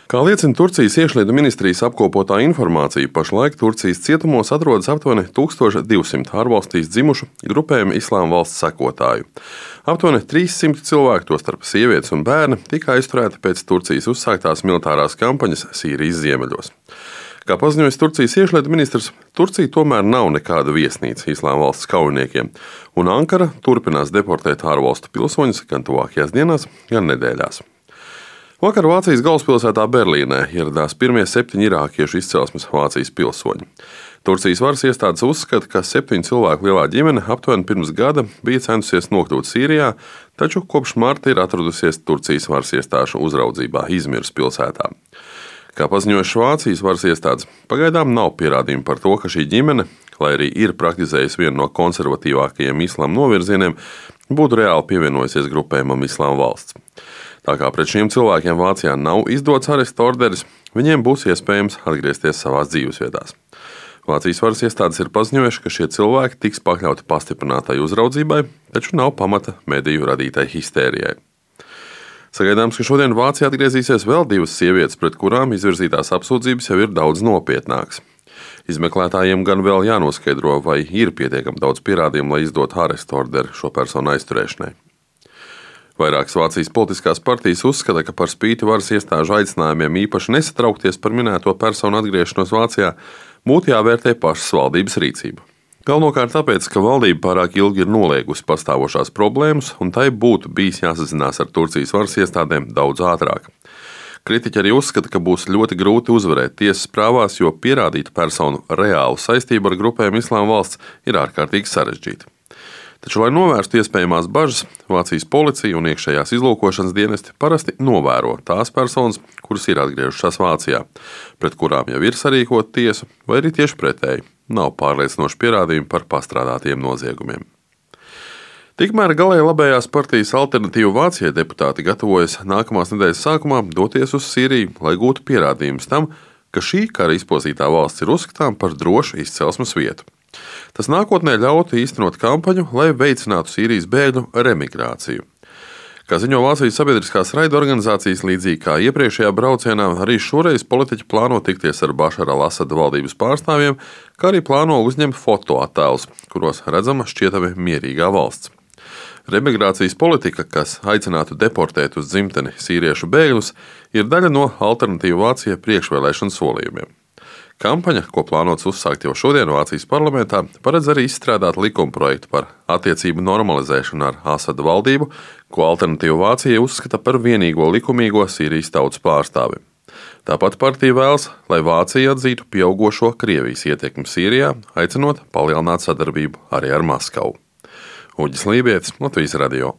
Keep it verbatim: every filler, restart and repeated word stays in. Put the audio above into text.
Kā liecina Turcijas iekšlietu ministrijas apkopotā informācija, pašlaik Turcijas cietumos atrodas aptuveni tūkstoš divsimt ārvalstīs dzimušu grupējuma Islāma valsts sekotāju. Aptuveni trīssimt cilvēku, tostarp sievietes un bērni, tika aizturēti pēc Turcijas uzsāktās militārās kampaņas Sīrijas ziemeļos. Kā paziņoja Turcijas iekšlietu ministrs, Turcija tomēr nav nekāda viesnīca Islāma valsts kaujiniekiem, un Ankara turpinās deportēt ārvalstu pilsoņus gan tuvākajās dienās, gan nedēļās. Vakar Vācijas galvaspilsētā Berlīnē ieradās pirmie septiņi irākiešu izcelsmes Vācijas pilsoņi. Turcijas varas iestādes uzskata, ka septiņu cilvēku lielā ģimene aptuveni pirms gada bija centusies nokļūt Sīrijā, taču kopš marta ir atradusies Turcijas varas iestāžu uzraudzībā Izmiras pilsētā. Kā paziņojuši Vācijas varas iestādes, pagaidām nav pierādījumu par to, ka šī ģimene, lai arī ir praktizējusi vienu no konservatīvākajiem islāma novirzieniem, būtu reāli pievienojusies grupējumam Islāma valsts. Tā kā pret šiem cilvēkiem Vācijā nav izdots arestu orderis, viņiem būs iespējams atgriezties savās dzīvesvietās. Vācijas varas iestādes ir paziņojuši, ka šie cilvēki tiks pakļauti pastiprinātai uzraudzībai, taču nav pamata mediju radītai histērijai. Sagaidāms, ka šodien Vācijā atgriezīsies vēl divas sievietes, pret kurām izvirzītās apsūdzības jau ir daudz nopietnākas. Izmeklētājiem gan vēl jānoskaidro, vai ir pietiekami daudz pierādījumu, lai izdotu arestu orderi šo personu aizturēšanai. Vairākas Vācijas politiskās partijas uzskata, ka par spīti varas iestāžu aicinājumiem īpaši nesatraukties par minēto personu atgriešanos Vācijā, būtu jāvērtē pašas valdības rīcība. Galvenokārt tāpēc, ka valdība pārāk ilgi ir noliegusi pastāvošās problēmas, un tai būtu bijis jāsazinās ar Turcijas varas iestādēm daudz ātrāk. Kritiķi arī uzskata, ka būs ļoti grūti uzvarēt tiesas prāvās, jo pierādīt personu reālu saistību ar grupējumu Islāma valsts ir ārkārtīgi sarežģīti. Taču, lai novērstu iespējamās bažas, Vācijas policija un iekšējās izlūkošanas dienesti parasti novēro tās personas, kuras ir atgriežušās Vācijā, pret kurām jau ir sarīkota tiesa, vai arī tieši pretēji, nav pārliecinoši pierādījumi par pastrādātiem noziegumiem. Tikmēr galēji labējās partijas Alternatīva Vācijai deputāti gatavojas nākamās nedēļas sākumā doties uz Sīriju, lai gūtu pierādījumus tam, ka šī kara izpozītā valsts ir uzskatām par drošu izcelsmes vietu. Tas nākotnē ļautu īstenot kampaņu, lai veicinātu Sīrijas bēgļu remigrāciju. Kā ziņo Vācijas sabiedriskās raidorganizācijas, līdzīgi kā iepriekšējā braucienā, arī šoreiz politiķi plāno tikties ar Bašara al-Asada valdības pārstāvjiem, kā arī plāno uzņemt fotoattēlus, kuros redzama šķietami mierīgā valsts. Remigrācijas politika, kas aicinātu deportēt uz dzimteni sīriešu bēgļus, ir daļa no Alternatīva Vācija priekšvēlēšanu solījumiem. Kampaņa, ko plānots uzsākt jau šodien Vācijas parlamentā, paredz arī izstrādāt likumprojektu par attiecību normalizēšanu ar Asada valdību, ko Alternatīva Vācija uzskata par vienīgo likumīgo Sīrijas tautas pārstāvi. Tāpat partija vēlas, lai Vācija atzītu pieaugošo Krievijas ietekmi Sīrijā, aicinot palielināt sadarbību arī ar Maskavu. Uģis Lībietis, Latvijas radio.